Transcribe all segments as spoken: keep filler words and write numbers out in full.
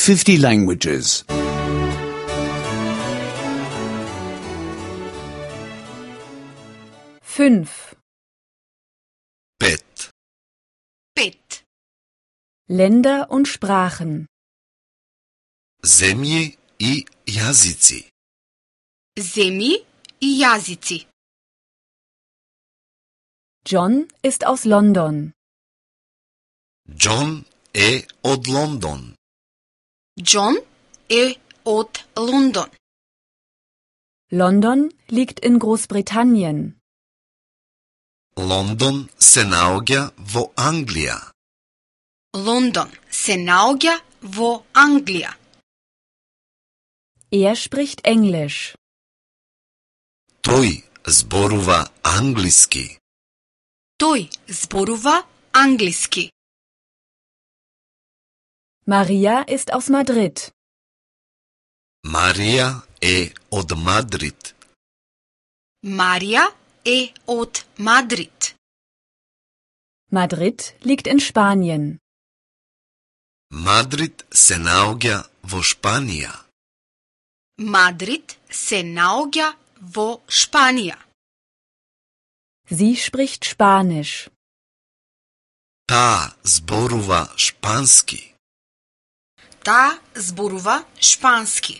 fifty languages. Fünf. Pet. Pet. Länder und Sprachen. Zemlje i jazici. Zemlji i jazici. John ist aus London. John е од Лондон. John е од Лондон. London liegt in Großbritannien. Лондон се наоѓа во Англија. Лондон се наоѓа во Англија. Er spricht Englisch. Тој зборува англиски. Тој зборува англиски. Maria ist aus Madrid. Марија е од Мадрид. Марија е од Мадрид. Madrid liegt in Spanien. Мадрид се наоѓа во Шпанија. Мадрид се наоѓа во Шпанија. Sie spricht Spanisch. Таа зборува шпански. Таа зборува шпански.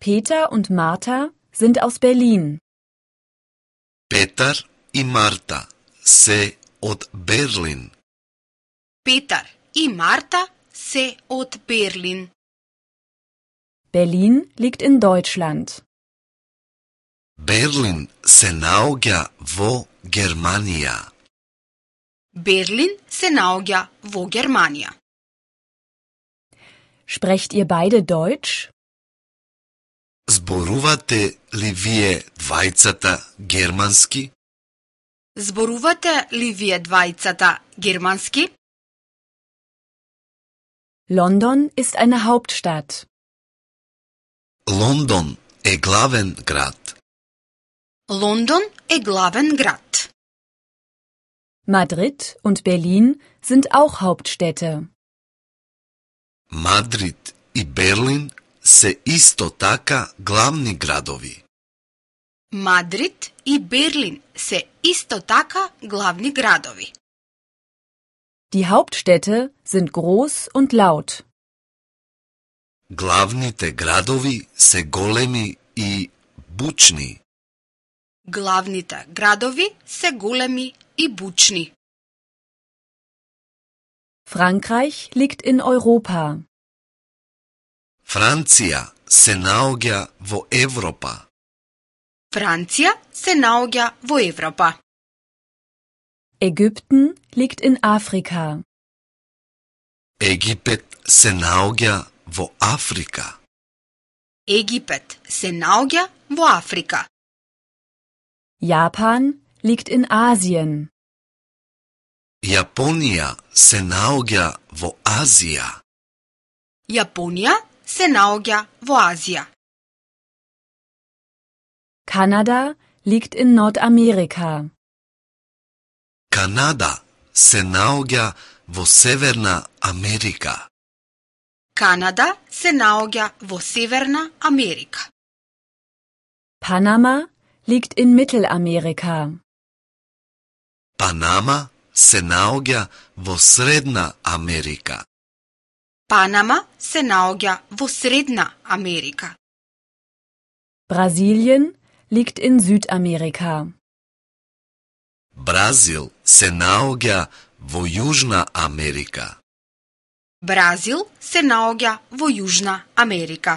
Peter und Martha sind aus Berlin. Петар и Марта се од Берлин. Петар и Марта се од Берлин. Berlin liegt in Deutschland. Берлин се наоѓа во Германија. Берлин се наоѓа во Германија. Sprecht ihr beide Deutsch? Зборувате ли вие двајцата германски? Зборувате ли вие двајцата германски? London ist eine Hauptstadt. Лондон е главен град. Лондон е главен град. Madrid und Berlin sind auch Hauptstädte. Мадрид и Берлин се исто така главни градови. Мадрид и Берлин се исто така главни градови. Die Hauptstädte sind groß und laut. Главните градови се големи и бучни. Главните градови се големи и бучни. Frankreich liegt in Europa. Франција се наоѓа во Европа. Франција се наоѓа во Европа. Ägypten liegt in Afrika. Египет се наоѓа во Африка. Египет се наоѓа во Африка. Japan liegt in Asien. Јапонија се наоѓа во Азија. Јапонија се наоѓа во Азија. Kanada liegt in Nordamerika. Канада се наоѓа во Северна Америка. Канада се наоѓа во Северна Америка. Panama liegt in Mittelamerika. Панама се наоѓа во Средна Америка. Панама се наоѓа во Средна Америка. Brasilien liegt in Südamerika. Бразил се наоѓа во Јужна Америка. Бразил се наоѓа во Јужна Америка.